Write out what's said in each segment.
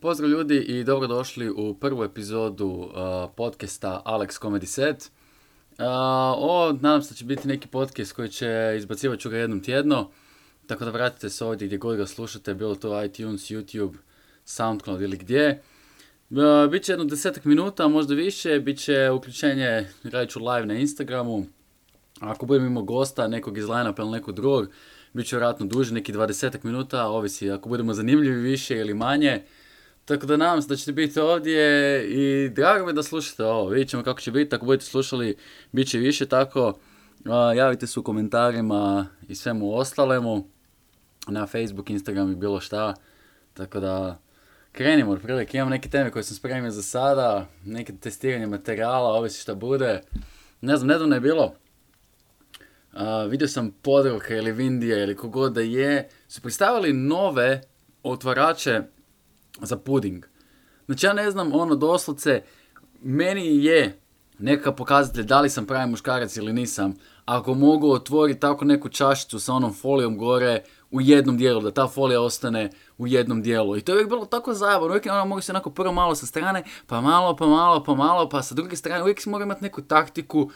Pozdrav ljudi i dobrodošli u prvu epizodu podcasta Alex Comedy Set. Nadam se da će biti neki podcast koji će izbacivat ću ga jednom tjedno, tako da vratite se ovdje gdje god ga slušate, bilo to iTunes, YouTube, SoundCloud ili gdje. Biće jedno 10 minuta, možda više, bit će uključenje, radit ću live na Instagramu. Ako budem imao gosta, nekog iz line-upa ili nekog drugog, bit će vjerojatno duže, neki 20 minuta, ovisi ako budemo zanimljivi više ili manje. Tako da nadam se da ćete biti ovdje i drago mi da slušate ovo. Vidjet ćemo kako će biti, ako budete slušali bit će više tako. Javite se u komentarima i svemu ostalemu na Facebook, Instagram i bilo šta. Tako da krenimo otprilike. Imam neke teme koje sam spremio za sada, neke testiranje materijala, ovisi šta bude. Ne znam, nedavno je bilo. Vidio sam Podravka ili Vindija ili kogod da je, su predstavili nove otvarače za puding. Znači ja ne znam, doslovce, meni je nekakav pokazatelj da li sam pravi muškarac ili nisam, ako mogu otvoriti tako neku čašicu sa onom folijom gore u jednom dijelu, da ta folija ostane u jednom dijelu. I to je uvijek bilo tako zabavno, uvijek mogu se onako prvo malo sa strane, pa malo, pa sa druge strane, uvijek si mora imati neku taktiku,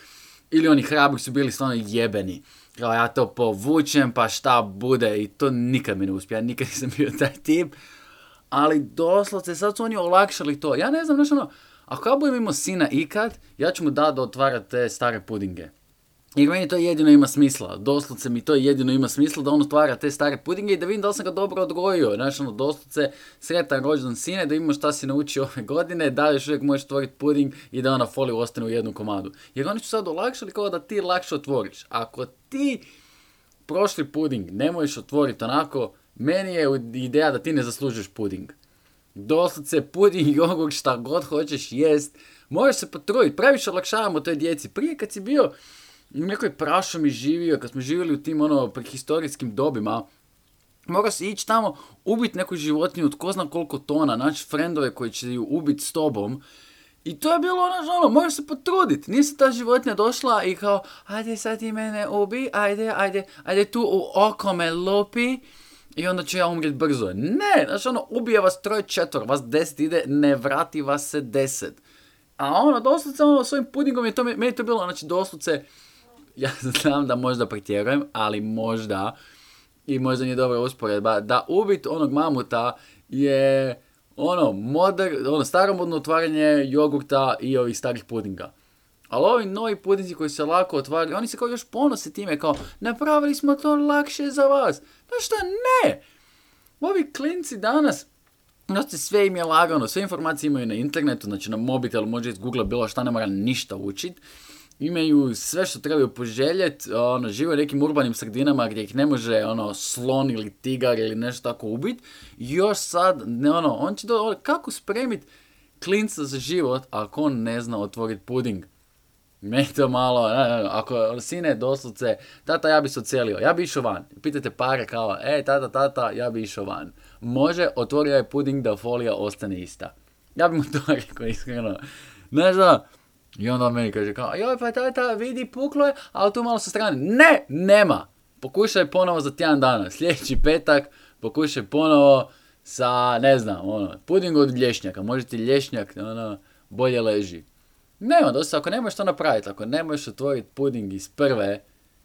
ili oni hrabri su bili stvarno jebeni. Kao ja to povučem, pa šta bude, i to nikad mi ne uspije, ja nikad nisam bio taj tip. Ali doslovce, sad su oni olakšali to. Ja ne znam, ako ja budem imao sina ikad, ja ću mu dati da otvara te stare pudinge. Jer meni to jedino ima smisla. Doslovce mi to jedino ima smisla da on otvara te stare pudinge i da vidim da li sam ga dobro odgojio. Znači, doslovce, sretan rođendan sine, da imamo šta si naučio ove godine, da još uvijek možeš otvoriti puding i da ona folija ostane u jednom komadu. Jer oni su sad olakšali kao da ti lakše otvoriš. Ako ti prošli puding ne možeš otvoriti onako, meni je ideja da ti ne zaslužuješ puding. Doslovce, puding, jogurt, šta god hoćeš jest, možeš se potruditi, previše olakšavamo toj djeci. Prije kad si bio u nekoj prašumi živio, kad smo živjeli u tim prehistorijskim dobima, mora se ići tamo, ubiti neku životinju od ko zna koliko tona, naći frendove koji će ju ubiti s tobom. I to je bilo moraš se potruditi. Nije se ta životinja došla i kao, ajde sad ti mene ubi, ajde tu u oko me lupi i onda ću ja umrijeti brzo. Ne, ubije vas 3-4, vas 10 ide, ne vrati vas se 10. A doslovce, svojim pudingom je to, meni to bilo, doslovce, ja znam da možda pretjerujem, ali možda, i možda nije dobra usporedba, da ubiti onog mamuta je staromodno otvaranje jogurta i ovih starih pudinga. Ali ovi novi pudinzi koji se lako otvaraju, oni se kao još ponose time, kao napravili smo to lakše za vas. Znaš šta, ne! Ovi klinci danas, sve im je lagano, sve informacije imaju na internetu, znači na mobitelu, može iz Google bilo šta, ne mora ništa učiti. Imaju sve što trebaju poželjeti, žive u nekim urbanim sredinama gdje ih ne može slon ili tigar ili nešto tako ubiti. Još sad, on će kako spremiti klinca za život ako on ne zna otvoriti puding. Meni to malo, ako sine doslovce, tata ja bi se odselio, ja bi išao van. Pitate pare kao, tata, ja bi išao van. Može, otvorio je puding da folija ostane ista. Ja bi mu to rekao iskreno. Znaš da? I onda on meni kaže kao, joj pa tata vidi puklo je, ali tu malo sa strane. Ne, nema. Pokušaj ponovo za tjedan dana. Sljedeći petak pokušaj ponovo sa, puding od lješnjaka. Može ti lješnjak, bolje leži. Nema, dosta, ako ne možeš to napraviti, ako ne možeš otvoriti puding iz prve,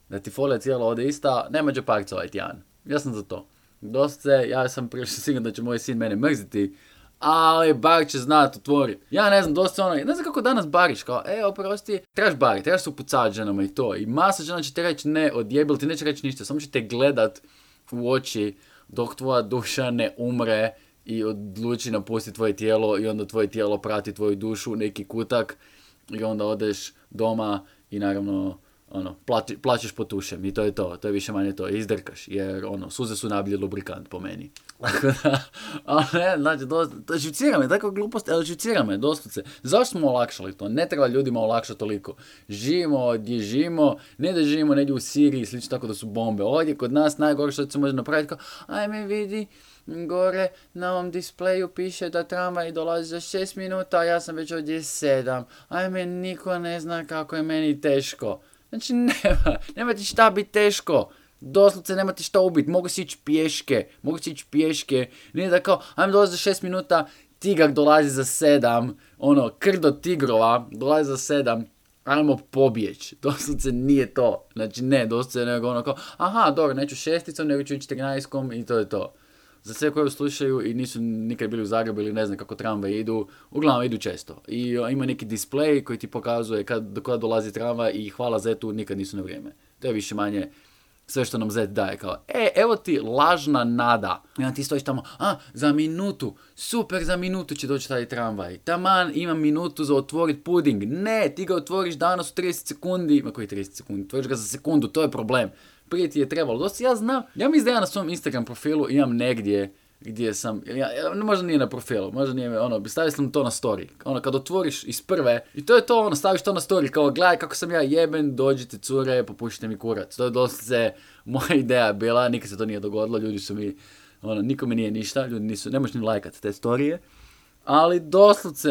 da ti folija cijela ode ista, nema džeparca ovaj tjedan. Ja sam za to. Dosta, ja sam prilično siguran da će moj sin mene mrziti, ali bar će znati otvoriti. Ja ne znam, dosta ne znam kako danas bariš, kao, oprosti, trebaš bariti, trebaš se upucavati ženama i to. I masa žena će te reći ne, odjebili ti neće reći ništa, samo će te gledat u oči dok tvoja duša ne umre i odluči napustiti tvoje tijelo i onda tvoje tijelo prati tvoju dušu u neki kutak i onda odeš doma i naravno plaćeš po tušem i to je to, to je više manje to, izdrkaš, jer suze su najbolji lubrikant po meni. Tako da, znači, to živcira me, takva glupost, ali živcira me, doslovce. Zašto smo olakšali to? Ne treba ljudima olakšati toliko. Živimo gdje živimo, ne da živimo negdje u Siriji, slično tako da su bombe. Ovdje kod nas najgore što se može napraviti, kao, ajme vidi, gore na ovom displeju piše da tramvaj dolazi za 6 minuta, a ja sam već ovdje 7. Ajme, niko ne zna kako je meni teško. Znači, nema ti šta biti teško. Doslovce nema ti šta ubiti. Mogu si ići pješke. Nije da kao, ajme dolazi za 6 minuta, tigar dolazi za 7, ono, krdo tigrova dolazi za 7, ajmo pobjeć. Doslovce nije to. Znači ne, doslovce nego ono kao, aha, dobro, neću 6, nego ću 14 i to je to. Za sve koji slušaju i nisu nikad bili u Zagrebu ili ne znam kako tramvaj idu, uglavnom idu često. I ima neki display koji ti pokazuje do kada dolazi tramvaj i hvala Zetu, nikad nisu na vrijeme. To je više manje sve što nam Zet daje. Kao, evo ti lažna nada. I onda ti stojiš tamo, za minutu, super, za minutu će doći taj tramvaj. Taman, imam minutu za otvorit puding. Ne, ti ga otvoriš danas u 30 sekundi. Ma koji 30 sekundi? Otvoriš ga za sekundu, to je problem. Prije ti je trebalo. Dosta ja znam, ja mislim da ja na svom Instagram profilu imam negdje gdje sam, možda nije na profilu, možda nije, stavio sam to na story. Kad otvoriš iz prve, i to je to, staviš to na story, kao gledaj kako sam ja jeben, dođite cure, popušite mi kurac. To je dosta moja ideja bila, nikad se to nije dogodilo, ljudi su mi, nikome nije ništa, ljudi nisu, ne možeš ni lajkat te storije. Ali doslovce,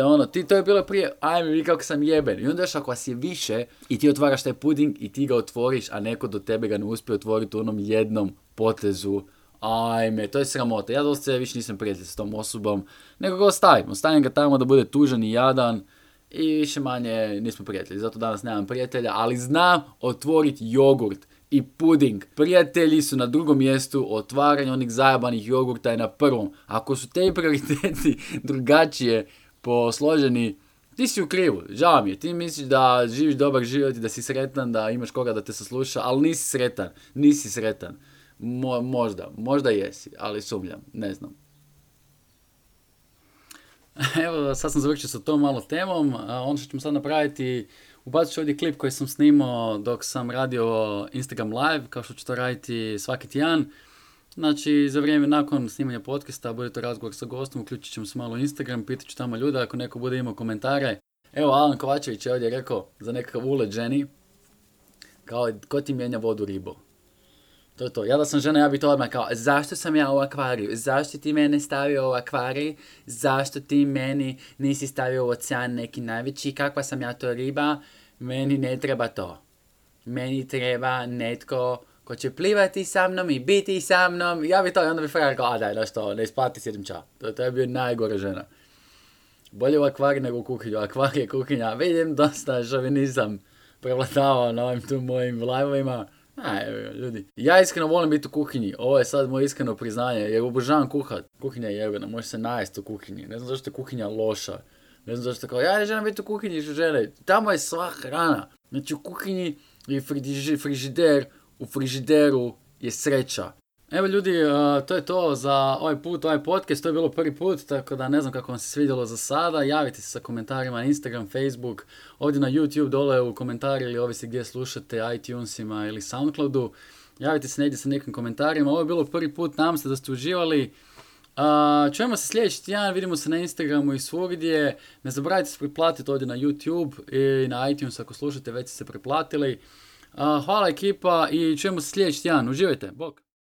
to je bilo prije, ajme vidi kako sam jeben. I onda još ako vas je više i ti otvaraš taj puding i ti ga otvoriš, a neko do tebe ga ne uspije otvoriti u onom jednom potezu, ajme, to je sramota. Ja doslovce više nisam prijatelj s tom osobom, nego ga ostavim ga tamo da bude tužan i jadan i više manje nismo prijatelji. Zato danas nemam prijatelja, ali znam otvoriti jogurt i puding. Prijatelji su na drugom mjestu, otvaranje onih zajebanih jogurta je na prvom. Ako su te prioriteti drugačije posloženi, ti si u krivu, žao mi je. Ti misliš da živiš dobar život i da si sretan, da imaš koga da te sasluša, ali nisi sretan. Možda jesi, ali sumnjam, ne znam. Evo, sad sam završio sa tom malo temom, ono što ćemo sad napraviti, ubacit ću ovdje klip koji sam snimao dok sam radio Instagram live, kao što ću to raditi svaki tjedan. Znači, za vrijeme nakon snimanja podcasta bude to razgovor sa gostom, uključit ćemo se malo u Instagram, pitat ću tamo ljude ako neko bude imao komentare. Evo, Alan Kovačević je ovdje rekao za nekakav ulet ženi, kao, ko ti mijenja vodu ribo? To je to. Ja da sam žena, ja bi to odmah kao, zašto sam ja u akvariju? Zašto ti mene stavio u akvarij? Zašto ti meni nisi stavio u ocean neki najveći? Kakva sam ja to riba? Meni ne treba to. Meni treba netko ko će plivati sa mnom i biti sa mnom. Ja bi to, i onda bi frajer kao, daj, znaš to, ne isplati si jedem čao. To je bio najgore žena. Bolje u akvariju nego u kuhinju. Akvarij je kuhinja. Vidim dosta šovinizam prevladavao na ovim tu mojim live-ovima. Ljudi. Ja iskreno volim biti u kuhinji. Ovo je sad moje iskreno priznanje, jer obožavam kuhat. Kuhinja je jebena, može se najesti u kuhinji. Ne znam zašto je kuhinja loša. Ne znam zašto je kao, ja ne želim biti u kuhinji što žele. Tamo je sva hrana. Znači u kuhinji je frižider, u frižideru je sreća. Evo ljudi, to je to za ovaj podcast, to je bilo prvi put, tako da ne znam kako vam se svidjelo za sada. Javite se sa komentarima na Instagram, Facebook, ovdje na YouTube dole u komentari ili ovisi gdje slušate, iTunesima ili Soundcloudu. Javite se negdje sa nekim komentarima, ovo je bilo prvi put, nadam se da ste uživali. Čujemo se sljedeći tjedan, vidimo se na Instagramu i svugdje. Ne zaboravite se preplatiti ovdje na YouTube i na iTunes ako slušate, već ste se preplatili. Hvala ekipa i čujemo se sljedeći tjedan, uživajte, bok!